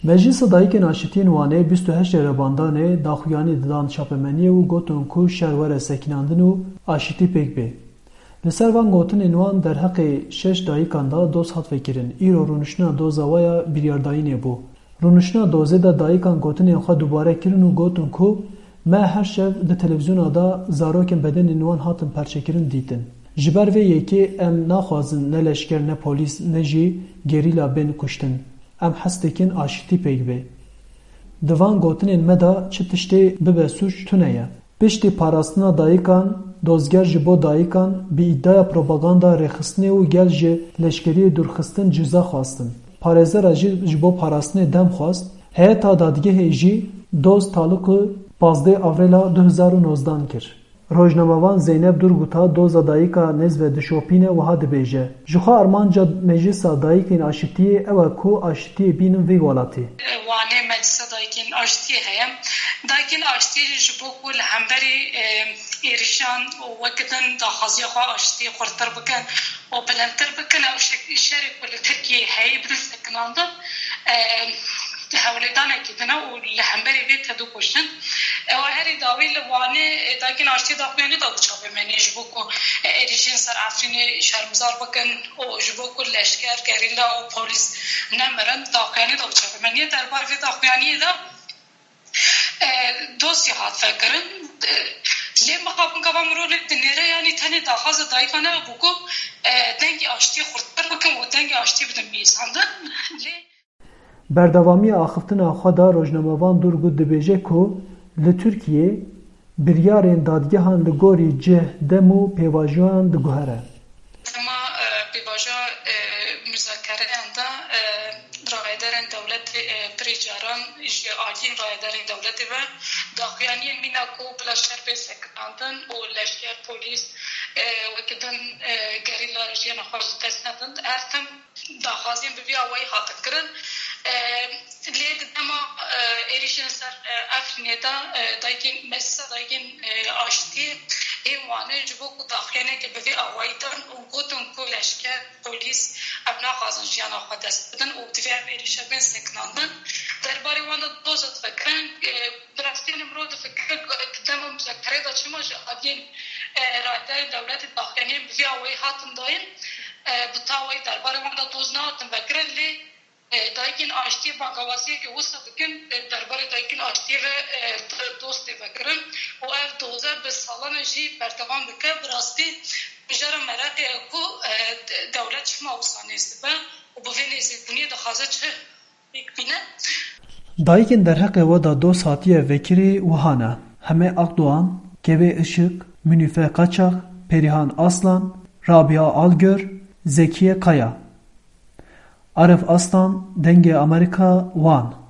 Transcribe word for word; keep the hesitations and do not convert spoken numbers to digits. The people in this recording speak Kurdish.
Meclisa Dayikên Aşitiyên Wanê bîst û heşt Rebandanê daxuyanî didan çapemeniyê û gotin ku şer were sekinandin û aşitî pêk bê. Li ser van gotinên wan derheqê şeş dayikan de doz hat vekirin. Îro rûniştina doza we ya biryardayînê bû. Rûniştina dozê de dayikan gotinên xwe dubare kirin û gotin ku me her şev di televîzyona de zarokên bedenên wan hatin perçekirin dîtin. Ji ber vê yekê em naxwazin ne leşker, ne polîs, ne jî gerîla bên kuştin. Em hez dikin aşitî pêk bê. Di van gotinên me de çi tiştê bibe sûc tune ye. Piştî parastina dayikan, dozger ji bo dayikan bi îdiaya propaganda rêxistinê û gel ji leşkeriyê dûrxistin ciza xwestin. Parêzera jî ji bo parastinê dem xwest. Heyeta dadgehê jî doz taliqî pazdeh Avrêla du hezar û nozdan kir. Rojnamevan Zeynep Durguta doza dayika nêz ve dişopîne, wiha dibêje: Ji xwe armanca Meclisa Dayikên Aşitiyê ew e ku aşitiyê bînin vî welatî. Wanê Meclisa Dayikên Aşitiyê heye. Dayikên Aşitiyê jî ji bo ku li hemberî, e, êrişan û wek din daxwaziya xwe aşitiyê xurttir bikin û bilindtir bikin, ew şek-, şerê ku li Tirkiyeyê heye bidin sekinandin, e, hewlêdanekî din e û li hemberî vê tedû kuştin. Ew herî dawî li Wanê, e, Dayikên Aştiyê daxuyanî da bi çapemeniyê ji bo ku, e, êrîşên ser Efrînê şermizar bikin û ji bo ku leşker, gerîla û polîs nemirin, daxuyanî da bi çapemeniyê. Derbarê vê daxuyaniyê de, e, dosya hat vekirin. E, lê mixabin gava mirov lê dinêre, yanî tenê daxwaza dayika ne bû ku, e, dengê aştiyê xurttir bikin û dengê aştiyê bidin bihîsandin. Lê Berdewamiya axiftina xwe de rojnamevan Durgut dibêje ku li Tirkiyê biryarên dadgehan li gorî cih, dem û pêvajoyan diguhere. Dema, e, pêvajoya, e, muzakereyan de, e, rayedarên dewletê, e, pirî caran ji aliyên rayedarên dewletê ve daxuyaniyên mîna ku bila şer bê sekinandin û leşker, polîs, e, weke din, e, gerîla jiyana xwe ji dest nedin. Her tim daxwaziyên bi vî awayî hatin kirin. E, lê di dema, e, êrîşên ser, e, Efrînê de, e, dayikên, Meclisa Dayikên, e, Aştiyê ê Wanê ji bo ku daxuyaniyeke bi vî awayî dan û gotin ku leşker, polîs, ev naxwazin jiyana xwe dest bidin û divê ev êrîşe bên sekinandin. Derbarê wan de doza difikirin. E, bi rastî, yanî mirov difikire ku di dema muzakerê de çima ji aliyên, e, rayedarên dewletê daxuyaniyên bi vî awayî hatin dayîn, e, bi tawayî derbarê wan de doz nehatin vekirin, lê, e, Dayikên Aştiyê bangawaziyeke wisa dikin, e, derbarê Dayikên Aştiyê ve, e, doz tê vekirin û ev doze bi salan e jî berdewam dike. Bi rastî mijara meraqê ye ku, e, de-, dewlet çima wisa nêz dibe û bi vê nêzîkbûniyê dixwaze çi pêk bîne. Dayikên derheqê we de doz hatiye vekirî wiha ne: Heme Akdoğan, Kevê Işık, Münîfe Kaçak, Perihan Aslan, Rabia Algör, Zekiye Kaya. Arif Aslan, Dengê Amerîka, Wan.